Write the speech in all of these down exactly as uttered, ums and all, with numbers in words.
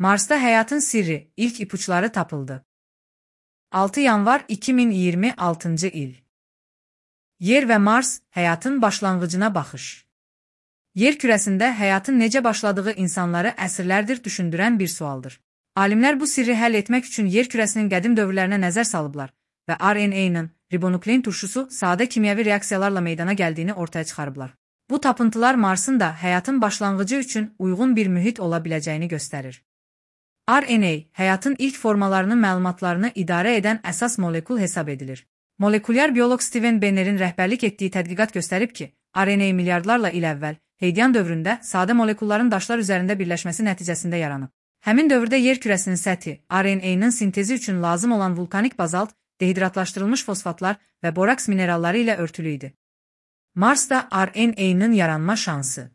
Mars'ta həyatın sirri, ilk ipuçları tapıldı. altı yanvar iki min iyirmi altıncı il. Yer və Mars, həyatın başlanğıcına baxış. Yer kürəsində həyatın necə başladığı insanları əsrlərdir düşündürən bir sualdır. Alimlər bu sirri həll etmək üçün yer kürəsinin qədim dövrlərinə nəzər salıblar və R N A-nın ribonuklein turşusu sadə kimyəvi reaksiyalarla meydana gəldiyini ortaya çıxarıblar. Bu tapıntılar Marsın da həyatın başlanğıcı üçün uyğun bir mühit ola biləcəyini göstərir. R N A, həyatın ilk formalarının məlumatlarını idarə edən əsas molekul hesab edilir. Molekulyar bioloq Steven Benner'in rəhbərlik etdiyi tədqiqat göstərib ki, R N A milyardlarla il əvvəl, Heidian dövründə sadə molekulların daşlar üzərində birləşməsi nəticəsində yaranıb. Həmin dövrdə yer kürəsinin səthi, R N A-nın sintezi üçün lazım olan vulkanik bazalt, dehidratlaşdırılmış fosfatlar və boraks mineralları ilə örtülü idi. Marsda R N A-nın yaranma şansı.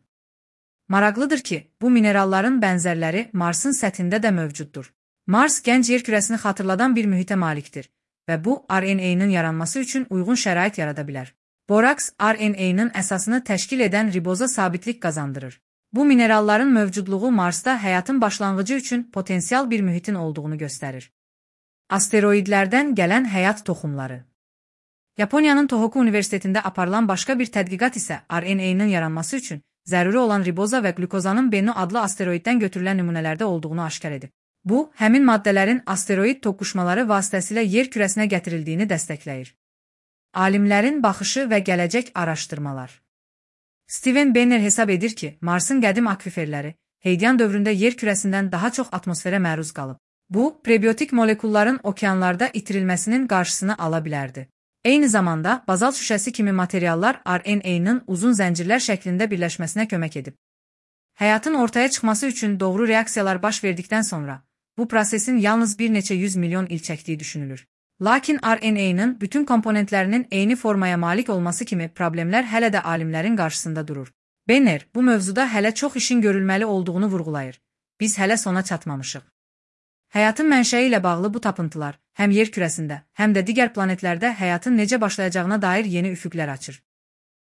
Maraqlıdır ki, bu mineralların bənzərləri Marsın səthində də mövcuddur. Mars gənc yer kürəsini xatırladan bir mühitə malikdir və bu R N A-nın yaranması üçün uyğun şərait yarada bilər. Boraks, R N A-nın əsasını təşkil edən riboza sabitlik qazandırır. Bu mineralların mövcudluğu Marsda həyatın başlanğıcı üçün potensial bir mühitin olduğunu göstərir. Asteroidlərdən gələn həyat toxumları. Yaponiyanın Tohoku Universitetində aparılan başqa bir tədqiqat isə R N A-nın yaranması üçün zəruri olan riboza və qlükozanın Bennu adlı asteroiddən götürülən nümunələrdə olduğunu aşkar edib. Bu, həmin maddələrin asteroid toqquşmaları vasitəsilə yer kürəsinə gətirildiyini dəstəkləyir. Alimlərin baxışı və gələcək araşdırmalar. Steven Benner hesab edir ki, Marsın qədim akviferləri Heidian dövründə yer kürəsindən daha çox atmosferə məruz qalıb. Bu, prebiotik molekulların okeanlarda itirilməsinin qarşısını ala bilərdi. Eyni zamanda, bazalt şüşəsi kimi materiallar R N A-nın uzun zəncirlər şəklində birləşməsinə kömək edib. Həyatın ortaya çıxması üçün doğru reaksiyalar baş verdikdən sonra, bu prosesin yalnız bir neçə yüz milyon il çəkdiyi düşünülür. Lakin R N A-nın bütün komponentlərinin eyni formaya malik olması kimi problemlər hələ də alimlərin qarşısında durur. Benner, bu mövzuda hələ çox işin görülməli olduğunu vurğulayır. Biz hələ sona çatmamışıq. Həyatın mənşəyi ilə bağlı bu tapıntılar, həm yer kürəsində, həm də digər planetlərdə həyatın necə başlayacağına dair yeni üfüqlər açır.